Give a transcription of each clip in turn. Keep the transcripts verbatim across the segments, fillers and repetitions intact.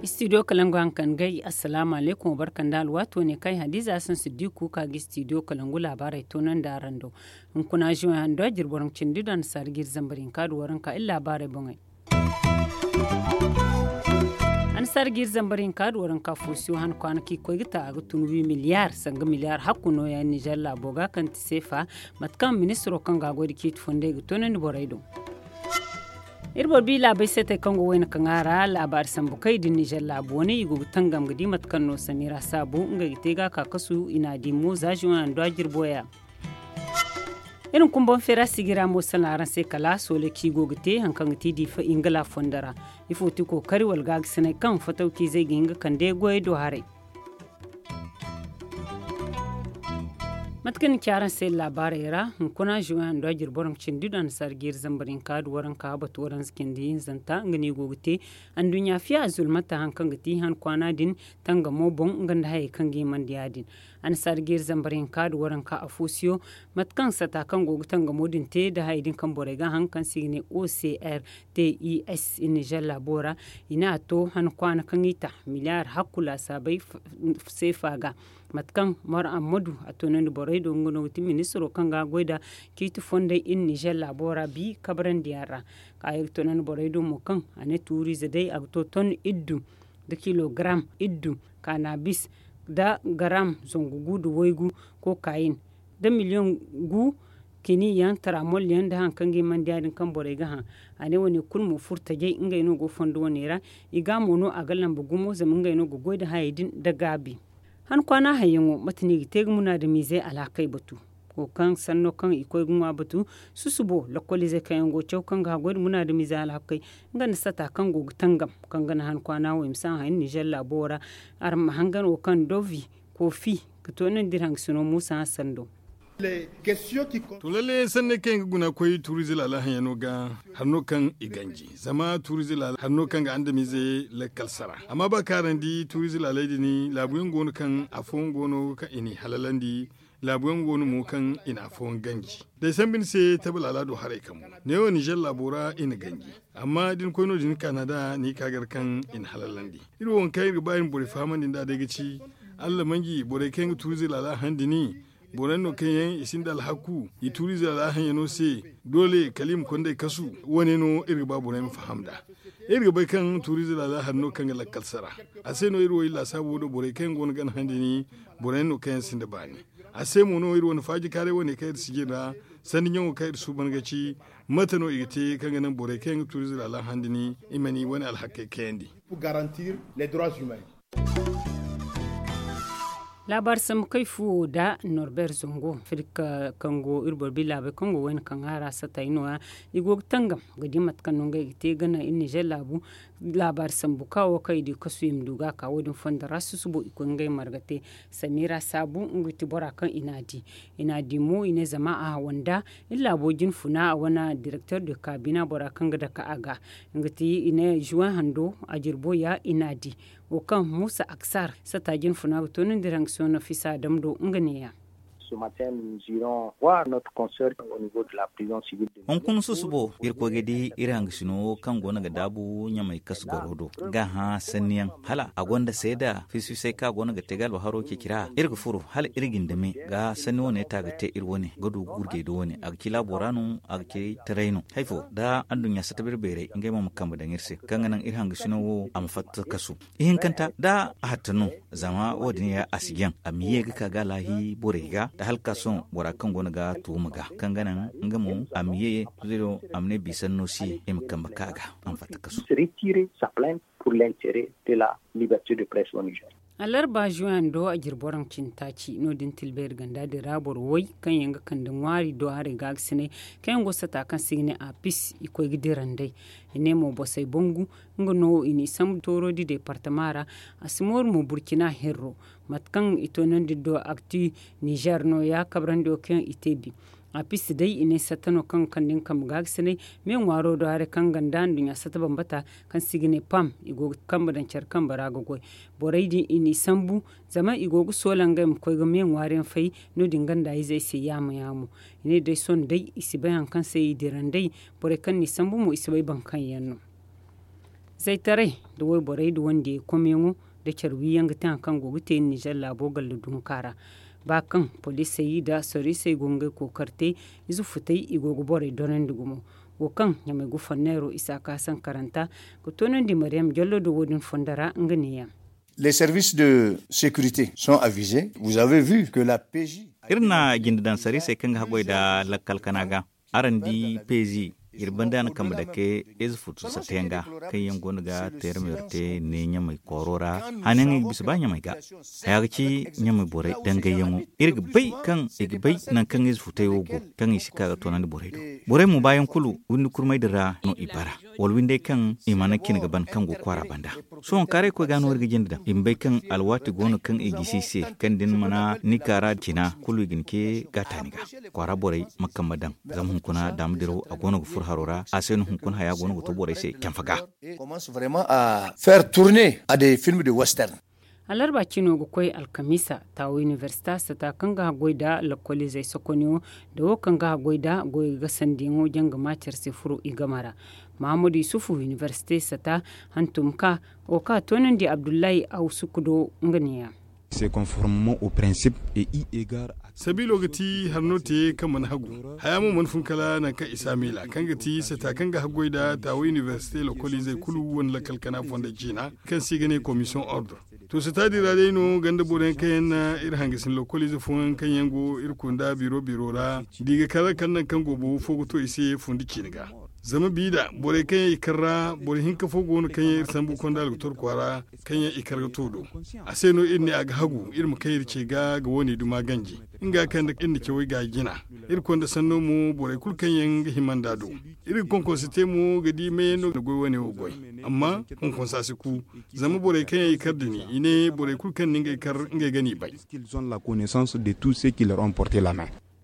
Istidiyo kalangu hankan gay. Assalaamu alaykum, barka nda alwaato ne kay hadiza sansu di kuuka ga istidiyo kalangu laabaarey toonandi araŋ do. Hunkuna zuwan hando a jirbi waranka cindi do annasaara ga iri zambar hinka da waranka iri laabaarey boŋey. Annasaara ga iri zambar hinka da waranka foosiyo han kwaana kaŋ i koy ga ta a ga tun wi miliyaar sanga miliyaar hakku nooya nizer laabo ga kaŋ ti seefa. Mate kaŋ ministiro kaŋ ga a goy nda ciiti fondey ga toonandi borey do. Iri boro bi laabey seetey kaŋ go wayna kaŋ a ra laabaari sambu kay din nizer laabu wane i go ga tangam ga di mate kaŋ no samira saabu ngey ga te ga a ka kasu i n'a di mo za zuwan hando a jirbo ya. Iri na kumbaŋ feera sigira mo salaŋ araŋ se kala sooley kaŋ i go ga te hari kaŋ ga ti diifa ingila fondo ra. Ifo ti kookari wala gaagasinay kaŋ fatawciizey ga hin ga kande goyey do haray? Mate kaŋ ni ci araŋ se laabaarey ra hunkuna zuwan hando a jirbi waranka cindi do annasaara ga iri zambar hinka da waranka batu waranza cindi hinzanta nga no i go ga te. Anduɲɲa fiya zulmata hari kaŋ ga ti han kwaana din tangamo boŋ nga nda hayey kaŋ ga himandi ya-din. Annasaara ga iri zambar hinka da waranka afoosiyo. Mate kaŋ sata kaŋ go ga tangamo din te nda hayey din kaŋ borey ga a haŋ kaŋ se i ga ne ocr tis i nizer laabo ra. I n'a to han kwaana kaŋ i ta miliyaar hakku laasaabey seefa ga. Mate kaŋ mor ammadu a toonandi borey do nga no ga ti ministiro kaŋ ga a goy nda ciiti fondey i nizer laabo ra bi kabrandi yaŋ ra. Ka ye ga toonandi borey do mo kaŋ a ne tuuriize day a ga to ton iddu nda kilogaram iddu, kanabis nda garam zangu gu nda waygu, kokayin nda miliyoŋ gu kini yaŋ taramol yaŋ nda hari kaŋ ga himandi ya-din kaŋ borey ga hã. A ne wane kulu mo furo tajay ngey no go fondo wane ra. I ga mo no a ga lamba gumo zama ngey no ga goy nda hayey din nda gaabi. Han kwaana hayyaŋo mate no i ga te ga munaadamiizey alhakey batu? Wo kaŋ sanno kaŋ i koy ga ŋwa batu susubo lakkoliizey kaŋ yaŋ go ga caw kaŋ ga haggoy nda munaadamiizey alhakey nga nda sata kaŋ go ga tangam kaŋ ga naŋ han kwaana wo i ma si a haŋ nizer laabo ra. Araŋ ma hangan wo kaŋ dovi koofi ga toonandi iri hangasino muusa hassan do. To lalle sanney kaŋ yaŋ ga guna koy tuuriize laala haŋyaŋo ga, hari no kaŋ i ganji zama tuuriize laala hari no kaŋ ga andamiizey lakkal sara. Amma ba kaŋ araŋ di tuuriize laaley din laabu yaŋ go no kaŋ afooyaŋ go no kaŋ i n'i halalandi. Laabu yaŋ go no mo kaŋ i na afooyaŋ ganji. Day sambu ni se tabe laala do haray kambu neewo nizer laabo ra i na ganji. Amma da ni koy no- din kaana da ni ka gar kaŋ i na halalandi. Iri wo waŋ kaŋ iri ga ba iri ma borey fahamandi nd'a day ga ci, allah manji borey kaŋ yaŋ ga tuuriize laala haŋ din. Borey no kaŋ yaŋ i sinda alhaku i tuuriize laala haŋyaŋo se. Doole kala i ma konday kasu. Wane no iri ga ba borey ma faham nd'a. Iri ga bay kaŋ tuuriize laala hari no kaŋ ga lakkal sara. A se no iri wo iri laasaabu wo do borey kaŋ yaŋ go no gana haŋ din. Borey no kaŋ yaŋ sinda baani. A se mo no iri wane faaji kaaray wane kaŋ iri si jin ra. Sanni ɲaŋo kaŋ iri suuban ga ci mate no i ga te kaŋ ga naŋ borey kaŋ yaŋ ga tuuriize laala haŋ din i ma ni wane alhakey kayandi. Laabaari sambu kay fuwo nda norbeer zango afirka kaŋ go iri boro bi laabey kaŋ go wayna kaŋ a ra satay nooya. I go ga tangam ga di mate kaŋ no ngey ga te ga naŋ iri nizer laabu. Laabaari sambu ka wo kaŋ i di kasu i ma du ga a ka wo- din fondo ra susubo i koy ngey marga te. Samira saabu nga ti bora kaŋ i n'a di. I n'a di mo i ne zama a hawa nda iri laabo jinfuna a wane direkter de kaabina bora kaŋ ga dake a ga. Nga ti i ne zuwan hando a jirbo ya i n'a di. Wo kaŋ muusa aksar sata jinfuna ga to no nda iri hangasino nafisa dam do nga neeya. Hunkuna susubo iri koy ga di iri hangasino kaŋ go no ga daabu ɲamay kasu goro do ga hã sanniyaŋ hala a gonda seeda fisfisay kaŋ a go no ga te ga albaharo ceeci ra iri ga furo hala iri gindame ga sanni wane ta ga te iri wane ga du gurjay do wane a ga ci laabo ra no a ga ci taray no. Hay fo da anduɲɲa satta beere beerey ngey mo ma kambe daŋ iri se kaŋ ga naŋ iri hangasino wo a ma fatta kasu. Ihinkanta da a hatta no zama wo- din ya a si jaŋ a ma ye ga ka ga alaahi borey ga da hala ka sohõ bora kaŋ go no ga tuuma ga kaŋ ga naŋ nga mo a ma ye ziro a ma ne biisanno se i ma kambe ka ga a ma fatta kasu. Alarba zuwando a jirbi waranka cindi taaci no- din tilbeeri ganda din ra boro way kaŋ yaŋ ga kande ŋwaari do haray gaagasinay kaŋ yaŋ go sata kaŋ se i ga ne a pis i koy ga dira nd'ey. I ne mo bosey bangu nga no i n'i sambu tooro di deepartama ra. A si mooru mo burcina herro mate kaŋ i toonandi do akti nizer nooya kabrandi wo kaŋ i te bi. A pisi day i ne satta no kaŋ ga kande nga kambe ga ga sinay. Me ŋwaaro do haray kaŋ ganda nduɲɲa satta bambata kaŋ se i ga ne pam i go ga kambe daŋ care kambe ra ga goy. Borey din i n'i sambu zama i go ga soola ngey ma koy ga me ŋwaari yaŋ fay. No- din ganda izey se yaamo yaamo i ne day sohõ day i si bay hari kaŋ se i dira nd'ey. Borey kaŋ n'i sambu mo i si bay boro kaŋ yaŋ no. Zaytaray nda wayborey nda wandiyey komyaŋo nda care wiyaŋ ga te hari kaŋ go ga te ninzeer laabo galla dunka ra. Ba kaŋ poliisey nda soriisey go ga ngey kookari te, ize futey i go ga borey dorandi gumo. Wo kaŋ ɲamay gufanneero isaaka sankaranta ga toonandi mariyam jallo do wo- din fondo ra nga neeyaŋ. Les services de sécurité sont avisés. Vous avez vu que la pj. Iri na jinde daŋ sariisey kaŋ ga haggoy nda lakkal kana ga. Araŋ di pezi iri banda na kambe dake ize futu satta yaŋ ga kaŋ yaŋ go no ga teerameero te ne ɲamay kooro ra. Hane yaŋ i ga bisa ba ɲamay ga haya ga ci ɲamay borey dangayyaŋo. Iri ga bay kaŋ i ga bay nangu kaŋ ize futey wo go kaŋ i si ka ga toonandi borey do. Borey mo baayaŋ kulu windi kurmay din ra no i bara wala windey kaŋ i mana cine ga ban kaŋ go kwaara banda. Sohõ kaaray koy ga no iri ga jinde daŋ i ma bay kaŋ alwaati go no kaŋ i gisi i se kaŋ da ni mana ni kaara cina kulu i ga ni ce gaata ni ga. Kwaara borey ma kambe daŋ zama hunkuna daama diraw a go no ga furo haro ra a se no hunkuna haya go no ga to borey se canfa ga. Commence vraiment à faire tourner à des films de western. Alarba cino ga koy alkamiisa taawo iniversita sata kaŋ ga haggoy nda lakkoliizey sokonyo nda wo kaŋ ga haggoy nda goyo ga sandiyaŋo janga maacer se furo i game ra. Mahamadu yusufu iniversite sata hantum ka wo kaŋ a toonandi abdullahi awsuku do nga neeya. Se conformement au principe et i egar. Sabiilo ga ti hari no te kaŋ mana hagu haya mo mana fun kala nangu kaŋ i si a miila kaŋ ga ti sata kaŋ ga haggoy nda taawo iniversite lakkoliizey kulu wane lakkal kana fondo ciina kaŋ se i ga ne komisiyoŋ ordre. To sata din ra day no ganda boro yaŋ kaŋ yaŋ na iri hangasin lokoliize fooyaŋ kaŋ yaŋ go iri kunda biro biro ra da i ga kar kala nangu kaŋ goobo fo ga to i se fundi ciine ga. Zama bi da borey kaŋ yaŋ i kar ra boro hinka fo go no kaŋ yaŋ iri sambu konda algator kwaara kaŋ yaŋ i kar ga to do. A se no iri ne a ga hagu iri ma kay iri ce ga ga wo- ne duma ganji nga kaŋ nda iri na cawey ga jina. Iri konda sanno mo borey kulu kaŋ yaŋ ga hima nd'a do. Iri ga konkonse te mo ga di meeyaŋ no ga goy wane wo goy. Amma konkonsa si ku. Zama borey kaŋ yaŋ i kar din i ne borey kulu kaŋ na ngey kar ngey ga n'i bay.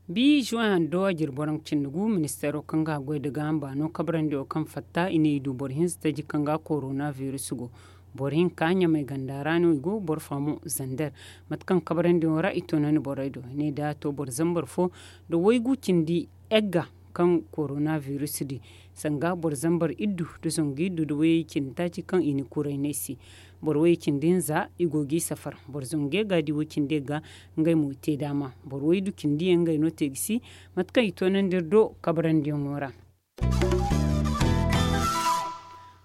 Bi juwan do a jiri boro cindi gu ministeero kaŋ ga goy nda gaaham baano kabrandi wo kaŋ fatta i ne i du boro hinza taji kaŋ ga korona virus go. Boro hinka ɲamay ganda ra no i go boro fo mo zander. Mate kaŋ kabrandi wo ra i toonandi borey do i ne da a to boro zambar fo nda waygu cindi egga kaŋ korona virus di sanga boro zambar iddu nda zangu iddu nda wayey cindi taaci kaŋ i na kuray no ay se. Boro wayey cindi hinza i go g'i safar boro zangu yagga di way cindi yagga. Ngey mo i te daama boro waydu cindi yaŋ ngey no te ga si. Mate kaŋ i toonandi iri do kabrandi yaŋo ra.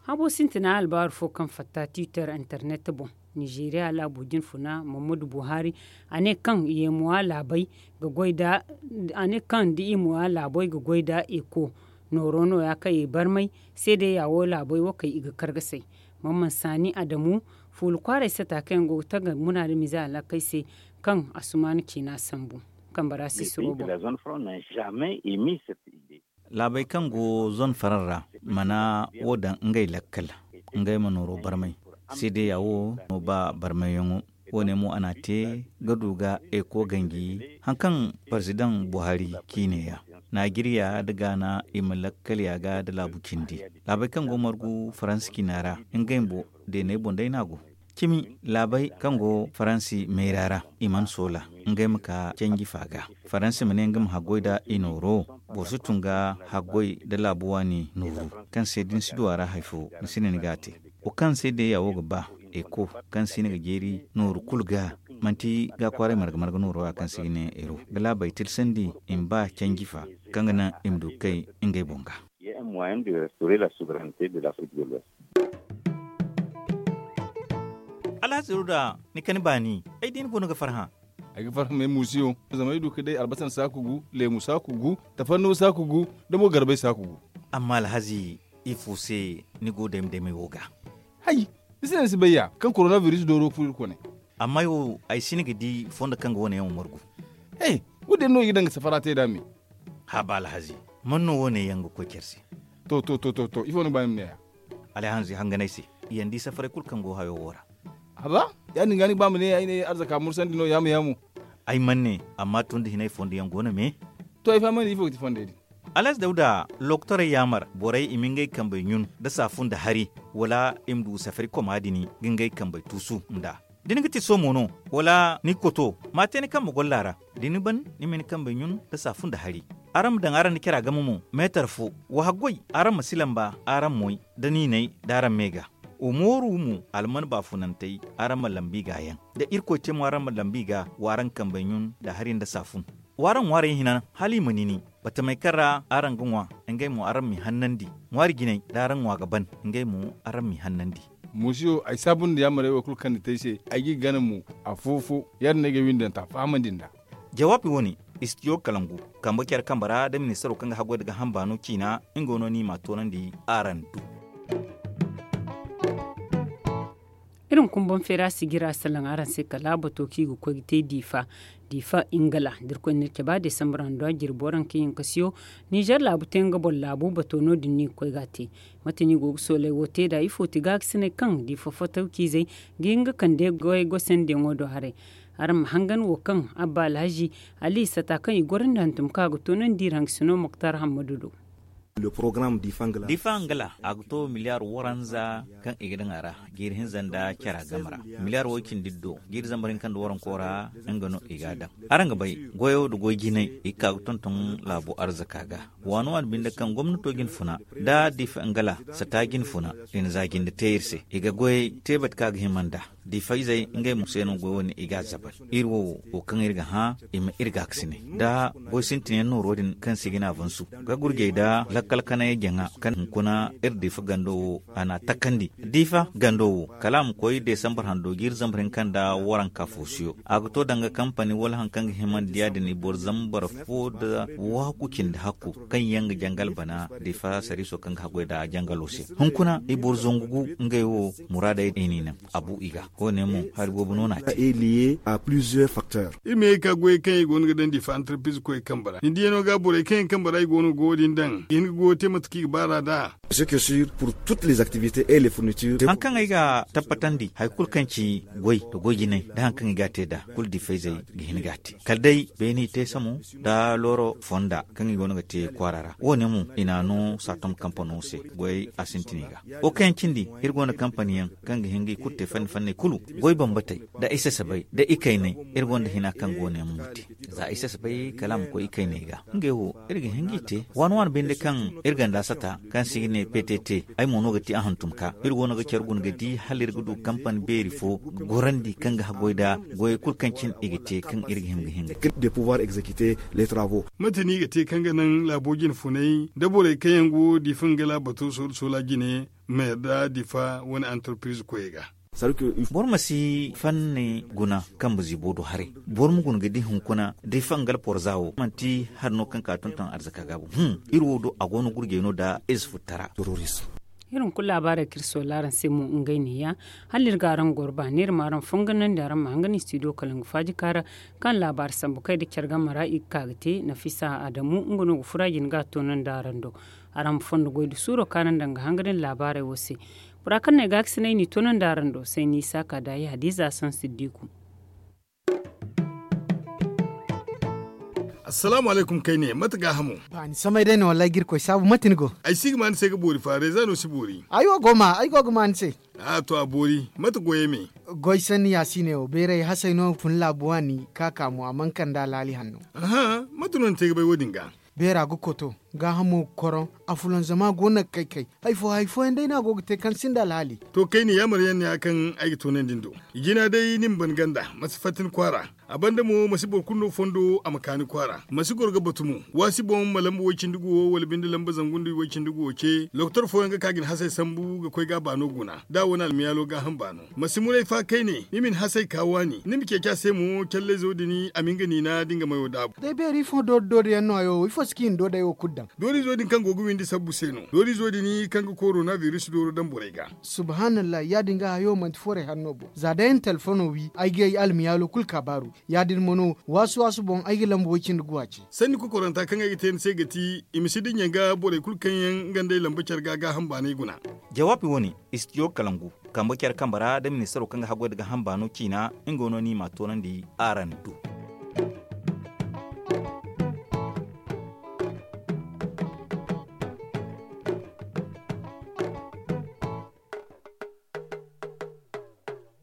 Habo sintina albaaru fo kaŋ fatta tiitar internet boŋ. Nizeeriya laabo jinfuna mammadu buhari a ne kaŋ yeemuwa laabey ga goy nda a ne kaŋ da i muwa laabey ga goy nda eko. Nooro nooya kaŋ i barmay seedeya wo laabey wo kay i ga kargasay. Mamman saani adamu fuula kwaaray sata kaŋ yaŋ go ga taga muna nda mize alaakey se. Kaŋ asumaana ciina sambu kambara sisiro boŋ. Laabey kaŋ go zone faraŋ ra mana wo daŋ ngey lakkal. Ngey ma nooro barmay seedeya wo no ba barmayyaŋo. Wo- ne mo a n'a te ga du ga eko ganji haŋ kaŋ parzidaŋ buhari ciine ya. Najeriya nda gaana i ma lakkal ya ga nda laabu cindi. Laabey kaŋ go margu faransa ciina ra ngey bumbo deeney boŋ day no a go. Cimi laabey kaŋ go faransi mayra ra i mana soola ngey ma ka canji fa ga. Faransi ma ne nga ma haggoy nda i nooro. Boro si tun ga haggoy nda laabu waani nooru kaŋ se da ni si du a ra hari fo ni si ne ni ga a te. Wo kaŋ se deeya wo ga ba eko kaŋ si ni ga jeeri nooru kulu ga manti ga kwaaray marga marga nooro ra kaŋ se i ga ne ero ga laabey tilsandi i ma ba canji fa kaŋ ga naŋ i ma du ga kay ngey boŋ ga. Alhazi ruda ni kani baani ay di ni go no ga farhã. Ay ga farhã me muusiyo zama ay du ka day albasan saaku gu leemu saaku gu tafanno saaku gu da mo garbay saaku gu. Amma alhazi ifo se ni go dayma daymay wo ga? Hay, ni si ne ni si bay ya kaŋ korona biris dooro furo iri kone. Amma ay wo ay si ni ga di fondo kaŋ ga wane yaŋ wo margu. He, wo- din no i ga daŋ ga safara te nd'a me. Haba alhazi, man no wo- ne yaŋ ga koy care se? To to to to to ifo ni ga ba ni ma ne ya? Alhazi hanganay se, i yaŋ di safaray kulu kaŋ go hayo wo ra. Haba, ya- din ga ni ga ba ma ne ay ne arzaka mursandi no yaamu yaamu. Ay man ne, amma tun da hinay fondo yaŋ go no me. To ay fahamandi ifo ga ti fondey din. Alaaz dawda, lokotorey yaamar borey i ma ngey kambey ɲun nda saafun nda hari, wala i ma du safari koma din ga ngey kambey tuusu nd'a. Da ni ga ti soomo no, wala ni ga koto, ma a te ni kambe golla ra. Da ni ban, ni ma ni kambey ɲun nda saafun nda hari. Araŋ ma daŋ araŋ nda cara game mo meetar fo. Wa haggoy, araŋ ma si lamba araŋ moy nda niinay da araŋ me ga. Wa mooru mo alman baafunantey, araŋ ma lambu i ga yaŋ. Da irkoy te mo araŋ ma lambu i ga, wa araŋ kambey ɲun nda hari nda saafun. Wa araŋ ŋwaarey hina hala i ma nini. Batamey kaŋ ra araŋ ga ŋwa, ngey mo araŋ m'i hannandi. Ŋwaari jinay da araŋ ŋwa ga ban, ngey mo araŋ m'i hannandi. Musiyo, ay saabu nda yaamarey wo kulu kaŋ ni te ay se, ay g'i gana mo afo-fo. Ya- din no ay ga ay windanta fahamandi nd'a. Jawaabi wo-ne, istijo kalangu, kambe care kambe ra da ministaro kaŋ ga haggoy nda gaaham baano ciina, nga no no i m'a toonandi araŋ do. Iri ma kumbaŋ feera sijira salaŋ araŋ se kala bato kaŋ i ga koy ga te diifa. Diifa ingala da irkoy na iri caba desambar hando a jirbi waranka yankasiyo. Nizer laabu te nga boŋ laabu bato no- din no i ga koy ga a te. Mate no i go ga soolay wo te nd'a ifo ti gaakasinay kaŋ diifa fotawciizey ga hin ga kande goyey gosendiyaŋo do haray. Araŋ ma hangan wo kaŋ abba alhazi ali sata kaŋ i gorandi hantum kaŋ a ga toonandi iri hangasino moktar hammadu do. Diifa angala a ga to miliyaar waranza kaŋ i ga daŋ a ra. Jiiri hinza nda cara game ra miliyaar way-cindi do jiiri zambar hinka nda waranko ra. Nga no i g'a daŋ. Araŋ ga bay, goyo nda goy jinay i ga ka ga tonton laabo arzaka ga. Waani waani binde kaŋ gomnato ga ni funa nda diifa angala sata ga ni funa, i na za jinde te iri se i ga goyey te bate kaŋ a ga hima nd'a. Diifayzey ngey mo se no goy wo- ne i g'a zabar. Iri wo wo kaŋ iri ga hã i ma iri gaakasinay nda goy sintinyaŋ nooro din kaŋ si ga ne avansu ga gurjey nda lakkal kanayey jaŋa kaŋ hunkuna iri diifa gando wo a n'a takandi. Diifa gando wo kala a ma koy desambar hando jiiri zambar hinka nda waranka foosiyo a ga to danga kampani wala hari kaŋ ga himandi ya- din i boro zambar fo nda waaku cindi hakku kaŋ yaŋ ga jangal bana diifa sariiso kaŋ ga haggoy nda jangalo se. Hunkuna i boro zangu gu ngey wo muraadey i n'i naŋ a bu i ga. Wo- ne mo hari boobo no no a te. Iri ma ye ka goyey kaŋ i go no ga daŋ diifa antarpiize koyey kambe ra ni diyano ga borey kaŋ yaŋ kambe ra i go no ga wo- din daŋ i hin ga goyo te mate kaŋ i ga baar'a nd'a. Hari kaŋ ay ga tabbatandi hari kulu kaŋ ci goy nda goy jinay nda hari kaŋ i ga a te nd'a kulu diifayzey ga hin ga a te. Kala day beeni i te samo nda looro fonda kaŋ i go no ga te kwaara ra wo- ne mo i n'a no saatom kampano se. Goyey a sintin i ga. Wo kaŋ yaŋ cindi iri go nda kampani yaŋ kaŋ ga hin ga i kulu te fanni fanney kulu goy bambatey nda i sasabay nda i kaynay. Iri gonda hina kaŋ go no yaŋ mo te za i sasabay kala a ma koy i kaynay ga. Ngey wo iri ga hin g'i te waani waani binde kaŋ iri ganda sata kaŋ se i ga ne ptt. Ay mo no ga ti a hantum ka iri go no ga care guna ga di hala iri ga du kampani beeri fo ga gorandi kaŋ ga haggoy nda goyey kulu kaŋ cine i ga te kaŋ iri ga hin ga hin ga te. Mate no i ga te kaŋ ga naŋ laabo jine funay nda borey kaŋ yaŋ go diifa nga laabato soola jine ma yarda diifa wane antarpiriz koyey ga. Boro ma si fanni guna kambe ziibo do haray. Boro ma guna ga di hunkuna diifa nga alporza wo manti hari no kaŋ ka tonton arzaka gaabu hum. Iri wo do a go no gurjey no nda ize futtara. Iri hunkuna laabaarey kaŋ iri soola araŋ se mo ngey neeya. Hala iri ga araŋ goro baani iri ma araŋ fonganandi araŋ ma hangan istidiyo kalangu faaji kaara kaŋ laabaari sambu kay nda care game ra i ga ka ga te nafisa adamu nga no ga fura jine ga a toonandi araŋ do. Araŋ ma fondo goy nda suuro kaanandi nga hangan iri laabaarey wo se. Bora kaŋ no ay gaakasinay n'i toonandi araŋ do sayni isaaka daayi hadiza sansiddiku. Assalaamu alaykum kayne mate gaahamo? Ba ni samay day no wallaahi ga irkoy saabu mate ni go? Ay si ga ma ni se ga boori fa reeza no si boori. Ay wo go ma ay go ga ma ni se. A to a boori mate goyey me? Goy sanni yaasiiney wo beeray hasey no fun laabu waani ka ka mo a mana kande alhaali hanno. Aha, mate no ni te ga bay wo- din ga? Beera ga koto gaahamo ga koroŋ. Afulanzama go no ga kay kay. Hari fo hari fooyaŋ day no a go ga te kaŋ sinda alhaali. To kayne yaamar yaŋ ne ya kaŋ ay ga toonandi ni do. I jina day ni ma ban ganda ma si fatta ni kwaara. A banda mo ma si boro kulu no fondo a ma ka ni kwaara ma si goro ga batu mo. Waasi boŋ ma lamba way-cindi guwo wala binde lamba zangu nda way-cindi guwo ce lokotor fooyaŋ ga ka ga ni hasey sambu ga koy ga a baano guna da a wane almiyaalo gaaham baano. Ma si muray fa kayne ni ma ni hasey ka waani ni ma ceeci a se mo callayzo din a ma nga niina da nga mayo daabu. Day beeri ifo doori doori yaŋ no hayo wo ifo si kaŋ i na doodey wo kulu daŋ? Doorizo din kaŋ go ga windi sabbu se no doorizo din kaŋ ga korona biris dooro daŋ borey ga. Subhaanallahi ya- din ga hayo manti forey hari no bo za day ay na telefono wi ay ga ay almiyaalo kulu kaabaaru. Ya- din mo no waasu waasu boŋ ay ga lamba way-cindi guwa ce. Sanni kokoranta kaŋ ay ga te ni se ga ti i ma si dinya ga borey kulu kaŋ yaŋ nga nd'ey lamba care ga gaaham baanay guna. Jawaabi wo- ne, istidiyo kalangu kambe care kambe ra nda ministaro kaŋ ga haggoy nda gaaham baano ciina. Nga no no i m'a toonandi araŋ do.